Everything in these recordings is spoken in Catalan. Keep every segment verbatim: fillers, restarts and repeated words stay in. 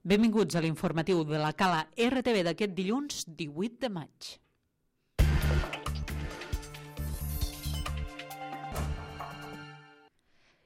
Benvinguts a l'informatiu de la Cala R T V d'aquest dilluns divuit de maig.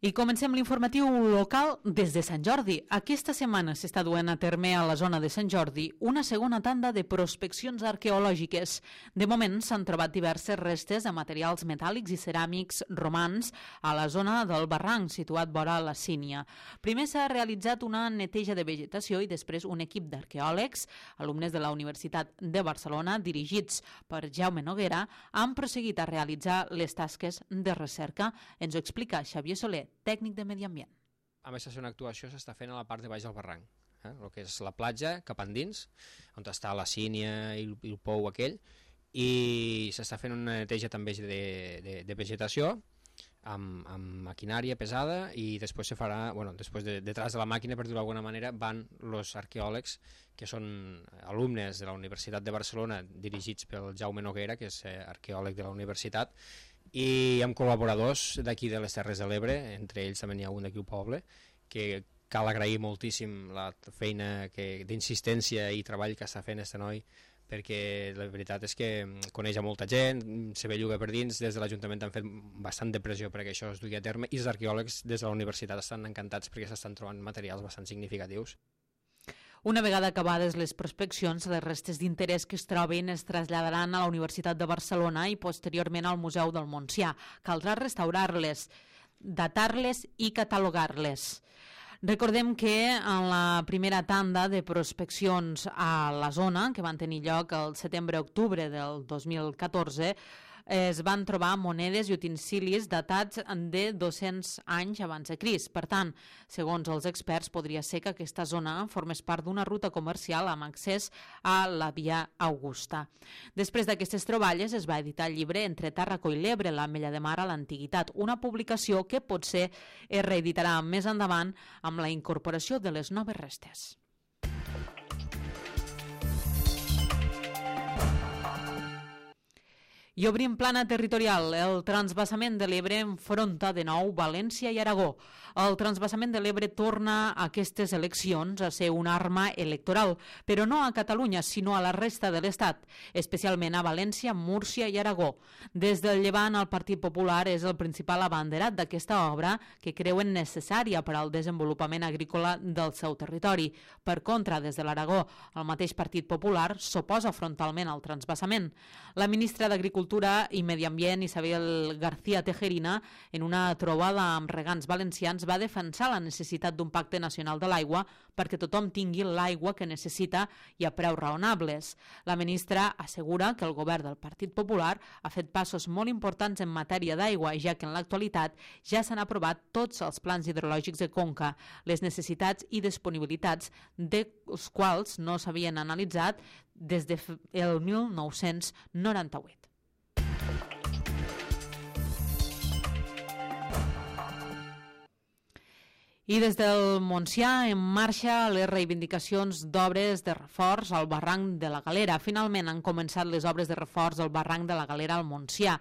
I comencem l'informatiu local des de Sant Jordi. Aquesta setmana s'està duent a terme a la zona de Sant Jordi una segona tanda de prospeccions arqueològiques. De moment s'han trobat diverses restes de materials metàl·lics i ceràmics romans a la zona del barranc situat vora la Sínia. Primer s'ha realitzat una neteja de vegetació i després un equip d'arqueòlegs, alumnes de la Universitat de Barcelona, dirigits per Jaume Noguera, han prosseguit a realitzar les tasques de recerca. Ens ho explica Xavier Soler, tècnic de Medi Ambient. A més, una actuació s'està fent a la part de baix del barranc, eh? El que és la platja cap endins, on està la sínia i el, i el pou aquell, i s'està fent una neteja també de, de, de vegetació amb, amb maquinària pesada, i després se farà, bueno, després de, detrás de la màquina, per dir-ho d'alguna manera, van els arqueòlegs que són alumnes de la Universitat de Barcelona, dirigits pel Jaume Noguera, que és arqueòleg de la universitat, i amb col·laboradors d'aquí de les Terres de l'Ebre, entre ells també n'hi ha un d'aquí al poble, que cal agrair moltíssim la feina d'insistència i treball que està fent este noi, perquè la veritat és que coneix a molta gent, se belluga per dins, des de l'Ajuntament han fet bastant de pressió perquè això es dugui a terme, i els arqueòlegs des de la universitat estan encantats perquè s'estan trobant materials bastant significatius. Una vegada acabades les prospeccions, les restes d'interès que es troben es traslladaran a la Universitat de Barcelona i posteriorment al Museu del Montsià. Caldrà restaurar-les, datar-les i catalogar-les. Recordem que en la primera tanda de prospeccions a la zona, que van tenir lloc el setembre-octubre del dos mil catorze, es van trobar monedes i utensilis datats de dos-cents anys abans de Crist. Per tant, segons els experts, podria ser que aquesta zona formés part d'una ruta comercial amb accés a la Via Augusta. Després d'aquestes troballes es va editar el llibre Entre Tàrraco i l'Ebre, l'Ametlla de Mar a l'Antiguitat, una publicació que potser es reeditarà més endavant amb la incorporació de les noves restes. I obrim plana territorial. El transvasament de l'Ebre enfronta de nou València i Aragó. El transvasament de l'Ebre torna a aquestes eleccions a ser una arma electoral, però no a Catalunya, sinó a la resta de l'Estat, especialment a València, Múrcia i Aragó. Des del Llevant, el Partit Popular és el principal abanderat d'aquesta obra que creuen necessària per al desenvolupament agrícola del seu territori. Per contra, des de l'Aragó, el mateix Partit Popular s'oposa frontalment al transvasament. La ministra d'Agricultura i Medi Ambient, Isabel García Tejerina, en una trobada amb regants valencians, va defensar la necessitat d'un pacte nacional de l'aigua perquè tothom tingui l'aigua que necessita i a preus raonables. La ministra assegura que el govern del Partit Popular ha fet passos molt importants en matèria d'aigua, ja que en l'actualitat ja s'han aprovat tots els plans hidrològics de conca, les necessitats i disponibilitats dels quals no s'havien analitzat des del mil nou-cents noranta-vuit. I des del Montsià en marxa les reivindicacions d'obres de reforç al barranc de la Galera. Finalment han començat les obres de reforç al barranc de la Galera al Montsià.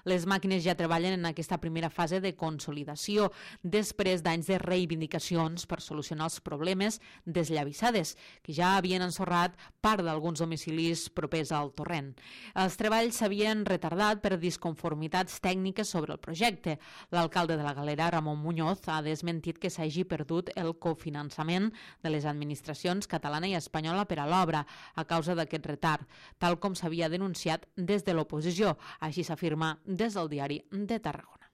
Les màquines ja treballen en aquesta primera fase de consolidació després d'anys de reivindicacions per solucionar els problemes desllavissades, que ja havien ensorrat part d'alguns domicilis propers al torrent. Els treballs s'havien retardat per disconformitats tècniques sobre el projecte. L'alcalde de la Galera, Ramon Muñoz, ha desmentit que s'hagi perdut el cofinançament de les administracions catalana i espanyola per a l'obra a causa d'aquest retard, tal com s'havia denunciat des de l'oposició. Així s'afirma des del Diari de Tarragona.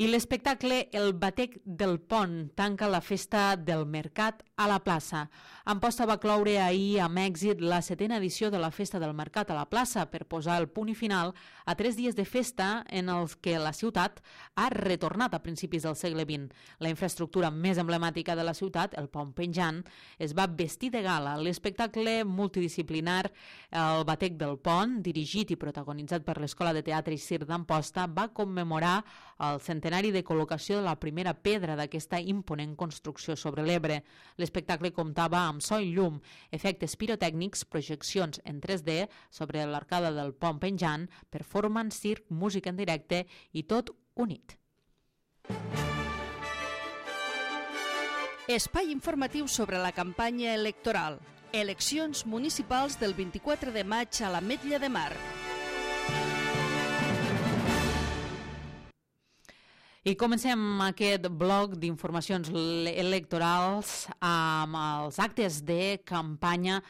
I l'espectacle El Batec del Pont tanca la festa del Mercat a la plaça. Amposta va cloure ahir amb èxit la setena edició de la Festa del Mercat a la plaça per posar el punt i final a tres dies de festa en els que la ciutat ha retornat a principis del segle vint. La infraestructura més emblemàtica de la ciutat, el pont penjant, es va vestir de gala. L'espectacle multidisciplinar El Batec del Pont, dirigit i protagonitzat per l'Escola de Teatre i Circ d'Amposta, va commemorar el centenari de col·locació de la primera pedra d'aquesta imponent construcció sobre l'Ebre. L'espectacle comptava amb so i llum, efectes pirotècnics, projeccions en tres D sobre l'arcada del pont penjant, performance, circ, música en directe i tot Unit. Espai informatiu sobre la campanya electoral. Eleccions municipals del vint-i-quatre de maig a l'Ametlla de Mar. I comencem aquest bloc d'informacions electorals amb els actes de campanya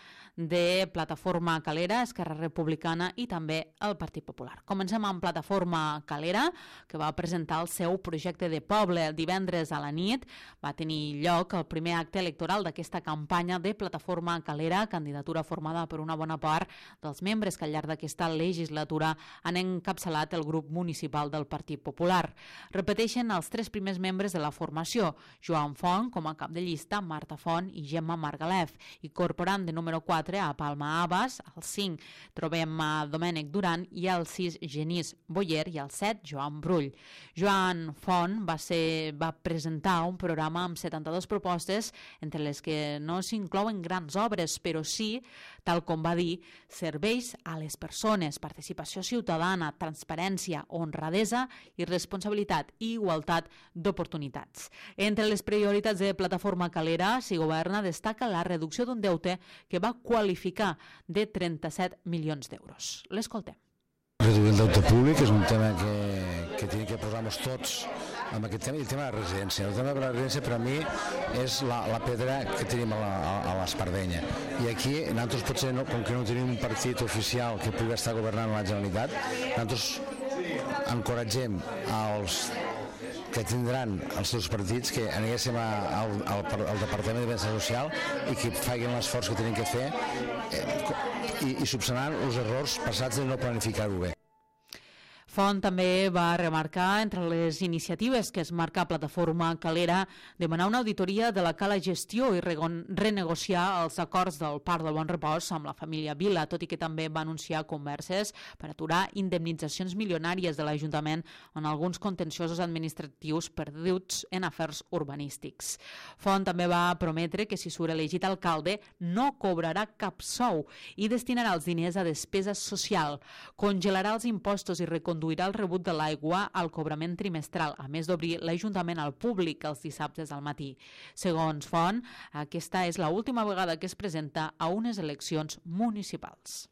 de Plataforma Calera, Esquerra Republicana i també el Partit Popular. Comencem amb Plataforma Calera, que va presentar el seu projecte de poble divendres a la nit. Va tenir lloc el primer acte electoral d'aquesta campanya de Plataforma Calera, candidatura formada per una bona part dels membres que al llarg d'aquesta legislatura han encapçalat el grup municipal del Partit Popular. Repeteixen els tres primers membres de la formació, Joan Font com a cap de llista, Marta Font i Gemma Margalef, incorporant de número quatre a Palma Abbas, al cinc trobem a Domènec Duran i al sis Genís Boyer i al set Joan Brull. Joan Font va, ser, va presentar un programa amb setanta-dues propostes, entre les que no s'inclouen grans obres, però sí, tal com va dir, serveis a les persones, participació ciutadana, transparència, honradesa i responsabilitat i igualtat d'oportunitats. Entre les prioritats de Plataforma Calera, si governa, destaca la reducció d'un deute que va qualificar de trenta-set milions d'euros. L'escoltem. Reduir el deute públic és un tema que, que tenim que posar-nos tots amb aquest tema, i el tema de la residència. El tema de la residència per a mi és la, la pedra que tenim a la, a l'espardenya. I aquí nosaltres potser, no, com que no tenim un partit oficial que pugui estar governant la Generalitat, nosaltres encoratgem als que tindran els seus partits que anéssim al, al, al Departament de Benestar Social i que facin l'esforç que tenen que fer eh, i, i subsanant els errors passats de no planificar-ho bé. Font també va remarcar entre les iniciatives que es marca Plataforma Calera demanar una auditoria de la cala gestió i renegociar els acords del Parc del Bon Repòs amb la família Vila, tot i que també va anunciar converses per aturar indemnitzacions milionàries de l'Ajuntament en alguns contenciosos administratius perduts en afers urbanístics. Font també va prometre que si surt elegit alcalde no cobrarà cap sou i destinarà els diners a despesa social, congelarà els impostos i reconduirà conduirà el rebut de l'aigua al cobrament trimestral, a més d'obrir l'Ajuntament al públic els dissabtes al matí. Segons Font, aquesta és l'última vegada que es presenta a unes eleccions municipals.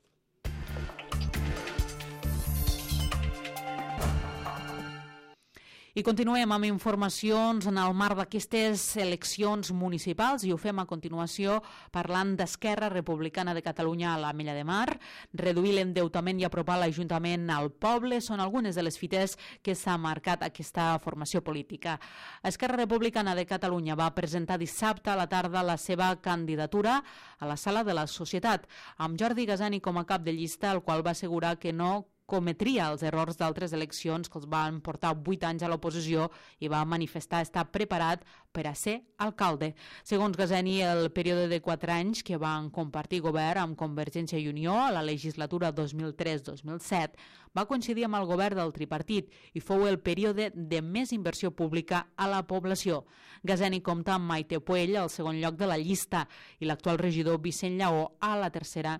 I continuem amb informacions en el marc d'aquestes eleccions municipals i ho fem a continuació parlant d'Esquerra Republicana de Catalunya a l'Ametlla de Mar. Reduir l'endeutament i apropar l'Ajuntament al poble són algunes de les fites que s'ha marcat aquesta formació política. Esquerra Republicana de Catalunya va presentar dissabte a la tarda la seva candidatura a la Sala de la Societat, amb Jordi Gasani com a cap de llista, el qual va assegurar que no cometria els errors d'altres eleccions que els van portar vuit anys a l'oposició i va manifestar estar preparat per a ser alcalde. Segons Gasani, el període de quatre anys que van compartir govern amb Convergència i Unió a la legislatura dos mil tres dos mil set va coincidir amb el govern del tripartit i fou el període de més inversió pública a la població. Gasani compta amb Maite Puell al segon lloc de la llista i l'actual regidor Vicent Lleó a la tercera,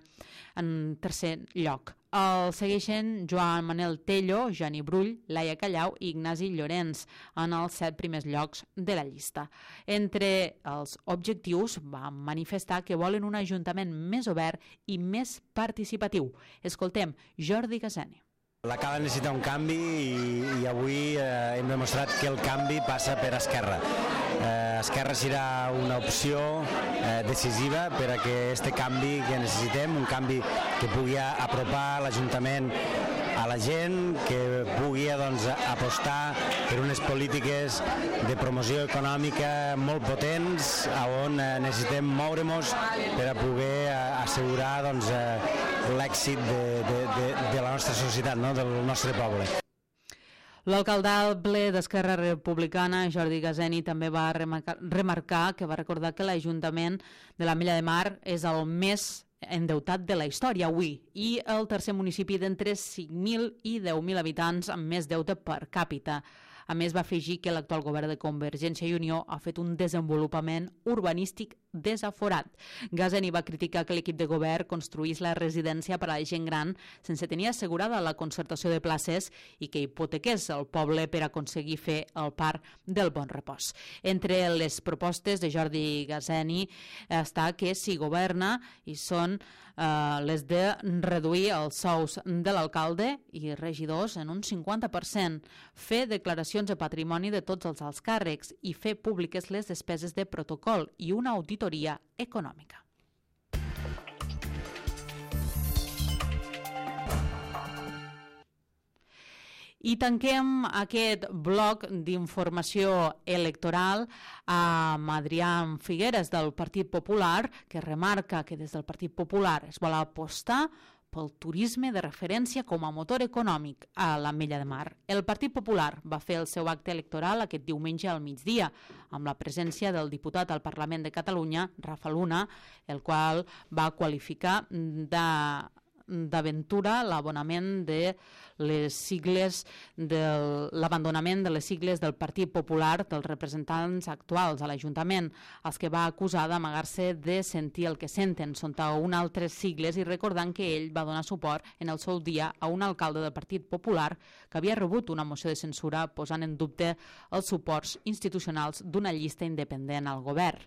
en tercer lloc. El segueixen Joan Manel Tello, Jani Brull, Laia Callau i Ignasi Llorenç en els set primers llocs de la llista. Entre els objectius van manifestar que volen un ajuntament més obert i més participatiu. Escoltem Jordi Gasani. La Cala necessita un canvi i, i avui eh, hem demostrat que el canvi passa per Esquerra. Eh, Esquerra serà una opció eh, decisiva per a que aquest canvi que necessitem, un canvi que pugui apropar l'Ajuntament a la gent, que pugui doncs, apostar per unes polítiques de promoció econòmica molt potents, on eh, necessitem moure-nos per a poder eh, assegurar doncs, eh, l'èxit de, de, de, de la nostra societat, no? Del nostre poble. L'alcaldable d'Esquerra Republicana, Jordi Gasani, també va remarcar, remarcar que va recordar que l'Ajuntament de l'Ametlla de Mar és el més endeutat de la història avui i el tercer municipi d'entre cinc mil i deu mil habitants amb més deute per càpita. A més, va afegir que l'actual govern de Convergència i Unió ha fet un desenvolupament urbanístic desaforat. Gazeni va criticar que l'equip de govern construís la residència per a la gent gran sense tenir assegurada la concertació de places i que hipotequés el poble per aconseguir fer el parc del Bon Repòs. Entre les propostes de Jordi Gazeni està que si governa i són eh, les de reduir els sous de l'alcalde i regidors en un cinquanta per cent, fer declaracions de patrimoni de tots els alts càrrecs i fer públiques les despeses de protocol i una auditoria econòmica. I tanquem aquest bloc d'informació electoral amb Adrián Figueres del Partit Popular, que remarca que des del Partit Popular es vol apostar pel turisme de referència com a motor econòmic a l'Ametlla de Mar. El Partit Popular va fer el seu acte electoral aquest diumenge al migdia, amb la presència del diputat al Parlament de Catalunya, Rafa Luna, el qual va qualificar de d'aventura l'abonament de les sigles de l'abandonament de les sigles del Partit Popular dels representants actuals a l'Ajuntament, els que va acusar d'amagar-se de sentir el que senten sota un altres sigles i recordant que ell va donar suport en el seu dia a un alcalde del Partit Popular que havia rebut una moció de censura posant en dubte els suports institucionals d'una llista independent al govern.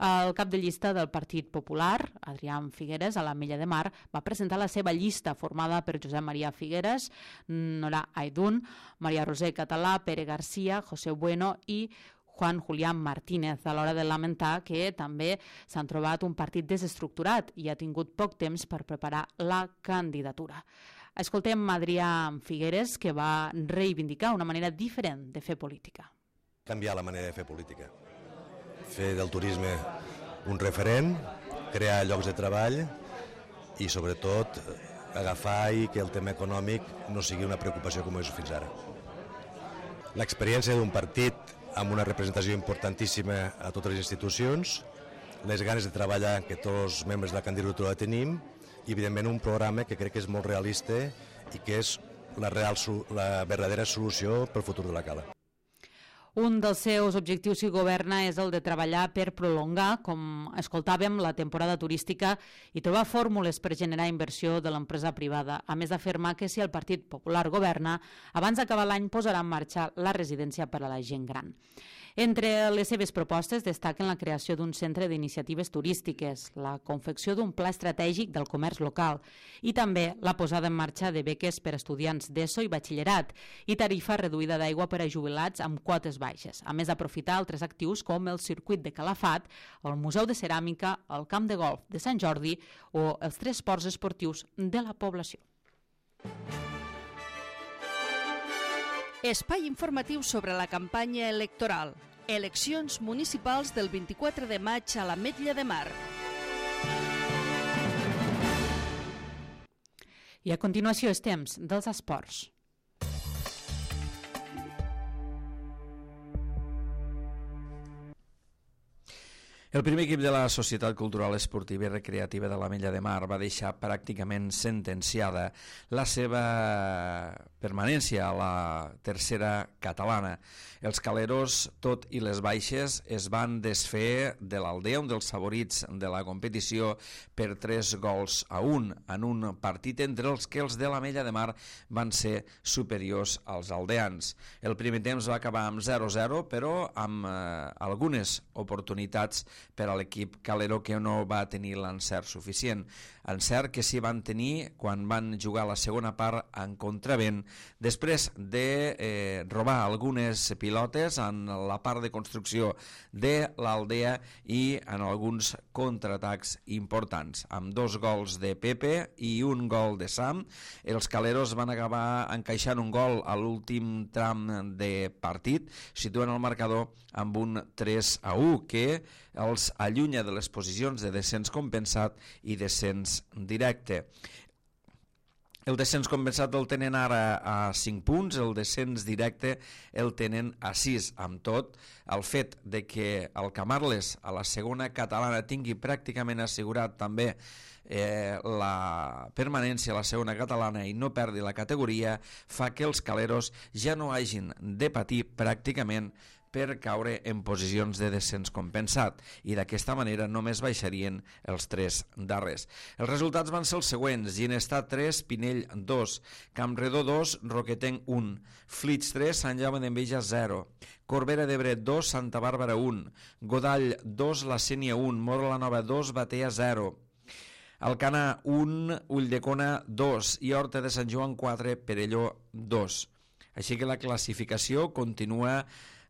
El cap de llista del Partit Popular, Adrián Figueres, a l'Ametlla de Mar, va presentar la seva llista formada per Josep Maria Figueres, Nora Aidún, Maria Roser Català, Pere Garcia, José Bueno i Juan Julián Martínez, a l'hora de lamentar que també s'han trobat un partit desestructurat i ha tingut poc temps per preparar la candidatura. Escoltem Adrián Figueres, que va reivindicar una manera diferent de fer política. Canviar la manera de fer política. Fer del turisme un referent, crear llocs de treball i, sobretot, agafar i que el tema econòmic no sigui una preocupació com és fins ara. L'experiència d'un partit amb una representació importantíssima a totes les institucions, les ganes de treballar que tots els membres de la candidatura tenim i, evidentment, un programa que crec que és molt realista i que és la, real, la verdadera solució pel futur de la Cala. Un dels seus objectius si governa és el de treballar per prolongar, com escoltàvem, la temporada turística i trobar fórmules per generar inversió de l'empresa privada, a més d'afirmar que si el Partit Popular governa, abans d'acabar l'any posarà en marxa la residència per a la gent gran. Entre les seves propostes destaquen la creació d'un centre d'iniciatives turístiques, la confecció d'un pla estratègic del comerç local i també la posada en marxa de beques per a estudiants d'ESO i batxillerat i tarifa reduïda d'aigua per a jubilats amb quotes baixes, a més d'aprofitar altres actius com el circuit de Calafat, el Museu de Ceràmica, el Camp de Golf de Sant Jordi o els tres ports esportius de la població. Espai informatiu sobre la campanya electoral. Eleccions municipals del vint-i-quatre de maig a l'Ametlla de Mar. I a continuació és temps dels esports. El primer equip de la Societat Cultural Esportiva i Recreativa de l'Ametlla de Mar va deixar pràcticament sentenciada la seva permanència a la tercera catalana. Els caleros, tot i les baixes, es van desfer de l'Aldea, un dels favorits de la competició, per tres gols a un, en un partit entre els que els de l'Ametlla de Mar van ser superiors als aldeans. El primer temps va acabar amb zero a zero, però amb eh, algunes oportunitats per a l'equip calero que no va tenir l'encert suficient. Encert que sí van tenir quan van jugar la segona part en contravent, després de eh, robar algunes pilotes en la part de construcció de l'Aldea i en alguns contraatacs importants. Amb dos gols de Pepe i un gol de Sam, els caleros van acabar encaixant un gol a l'últim tram de partit, situant el marcador amb un tres a u que els allunya de les posicions de descens compensat i descens directe. El descens compensat el tenen ara a cinc punts, el descens directe el tenen a sis. Amb tot, el fet de que el Camarles a la segona catalana tingui pràcticament assegurat també eh, la permanència a la segona catalana i no perdi la categoria fa que els caleros ja no hagin de patir pràcticament per caure en posicions de descens compensat i d'aquesta manera només baixarien els tres darrers. Els resultats van ser els següents: Ginestar tres, Pinell dos, Campredó dos, Roquetenc un, Flix tres, Sant Jaume d'Enveja zero, Corbera d'Ebre dos, Santa Bàrbara un, Godall dos, La Sénia un, Móra la Nova dos, Batea zero, Alcanar un, Ulldecona dos i Horta de Sant Joan quatre, Perelló dos. Així que la classificació continua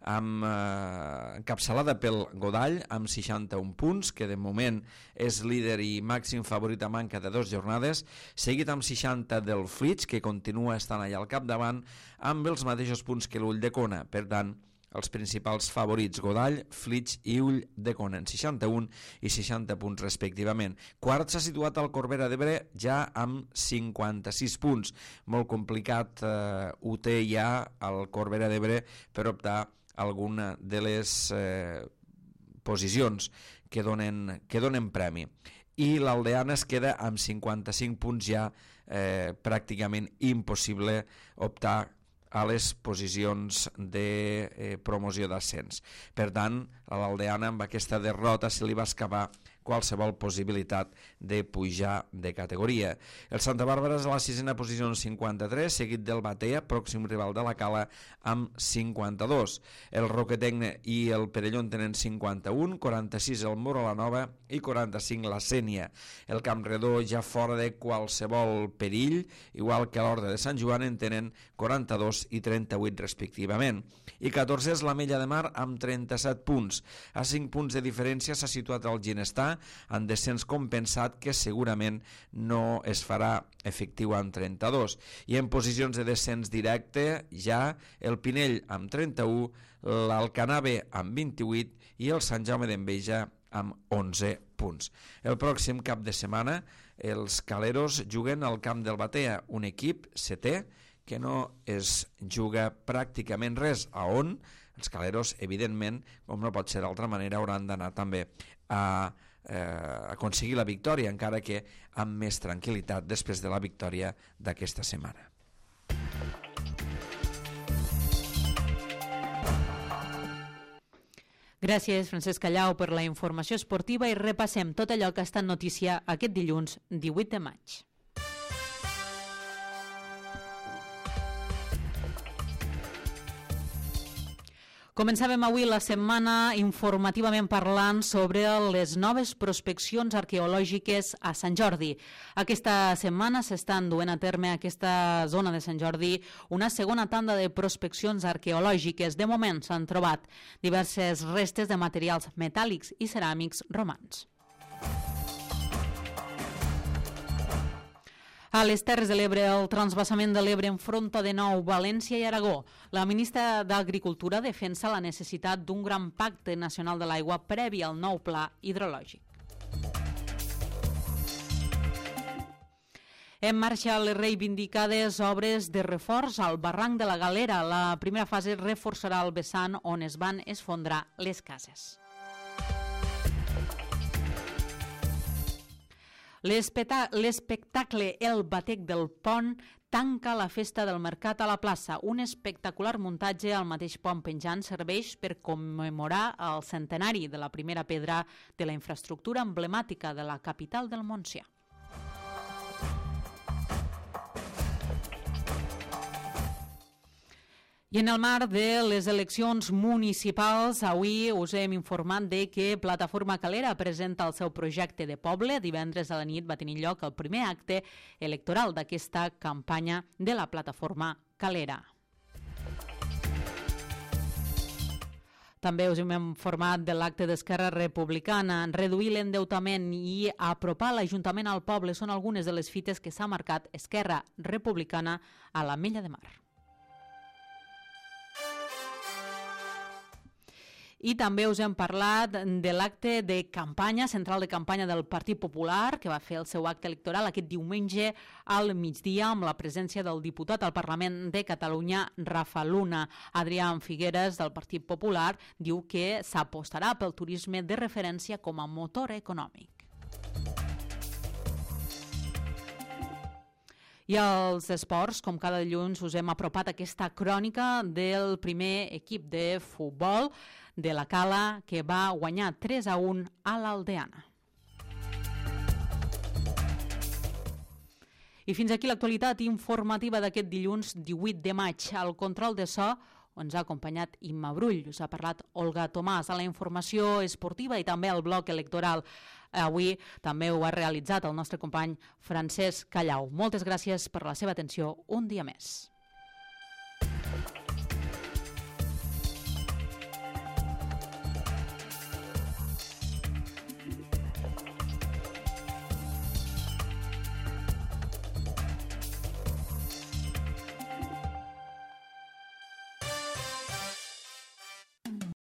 amb eh, encapçalada pel Godall amb seixanta-un punts, que de moment és líder i màxim favorit a manca de dues jornades, seguit amb seixanta del Flix, que continua estant allà al capdavant amb els mateixos punts que l'Ulldecona. Per tant, els principals favorits Godall, Flix i Ulldecona en seixanta-un i seixanta punts respectivament. Quart s'ha situat el Corbera d'Ebre ja amb cinquanta-sis punts. Molt complicat eh, ho té ja el Corbera d'Ebre per optar alguna de les eh, posicions que donen, que donen premi. I l'Aldeana es queda amb cinquanta-cinc punts, ja eh, pràcticament impossible optar a les posicions de eh, promoció d'ascens. Per tant, a l'Aldeana amb aquesta derrota se li va escapar qualsevol possibilitat de pujar de categoria. El Santa Bàrbara és a la sisena posició en cinquanta-tres, seguit del Batea, pròxim rival de la Cala, amb cinquanta-dos. El Roquetenc i el Perelló en tenen cinquanta-un, quaranta-sis el Móra la Nova i quaranta-cinc la Sénia. El Campredó ja fora de qualsevol perill, igual que l'Horta de Sant Joan, en tenen quaranta-dos i trenta-vuit respectivament. I catorze és l'Ametlla de Mar amb trenta-set punts. A cinc punts de diferència s'ha situat el Ginestar en descens compensat, que segurament no es farà efectiu amb trenta-dos. I en posicions de descens directe ja el Pinell amb trenta-u, l'Alcanar B amb vint-i-vuit i el Sant Jaume d'Enveja amb onze punts. El pròxim cap de setmana els caleros juguen al camp del Batea, un equip setè que no es juga pràcticament res, a on els caleros, evidentment, com no pot ser d'altra manera, hauran d'anar també a eh, aconseguir la victòria, encara que amb més tranquil·litat després de la victòria d'aquesta setmana. Gràcies, Francesc Callau, per la informació esportiva i repassem tot allò que ha estat notícia aquest dilluns divuit de maig. Començàvem avui la setmana informativament parlant sobre les noves prospeccions arqueològiques a Sant Jordi. Aquesta setmana s'estan duent a terme a aquesta zona de Sant Jordi una segona tanda de prospeccions arqueològiques. De moment s'han trobat diverses restes de materials metàl·lics i ceràmics romans. A les Terres de l'Ebre, el transvasament de l'Ebre enfronta de nou València i Aragó. La ministra d'Agricultura defensa la necessitat d'un gran pacte nacional de l'aigua previ al nou pla hidrològic. En marxa les reivindicades obres de reforç al barranc de la Galera. La primera fase reforçarà el vessant on es van esfondrar les cases. L'espectacle El Batec del Pont tanca la festa del mercat a la plaça. Un espectacular muntatge al mateix pont penjant serveix per commemorar el centenari de la primera pedra de la infraestructura emblemàtica de la capital del Montsià. I en el marc de les eleccions municipals, avui us hem informat de que Plataforma Calera presenta el seu projecte de poble. Divendres a la nit va tenir lloc el primer acte electoral d'aquesta campanya de la Plataforma Calera. També us hem informat de l'acte d'Esquerra Republicana. Reduir l'endeutament i apropar l'Ajuntament al poble són algunes de les fites que s'ha marcat Esquerra Republicana a l'Ametlla de Mar. I també us hem parlat de l'acte de campanya, central de campanya del Partit Popular, que va fer el seu acte electoral aquest diumenge al migdia amb la presència del diputat al Parlament de Catalunya, Rafa Luna. Adrià Figueres, del Partit Popular, diu que s'apostarà pel turisme de referència com a motor econòmic. I als esports, com cada dilluns, us hem apropat aquesta crònica del primer equip de futbol de la Cala, que va guanyar tres a un a l'Aldeana. I fins aquí l'actualitat informativa d'aquest dilluns divuit de maig. Al control de so ens ha acompanyat Imma Brull, us ha parlat Olga Tomàs, a la informació esportiva i també al bloc electoral. Avui també ho ha realitzat el nostre company Francesc Callau. Moltes gràcies per la seva atenció un dia més.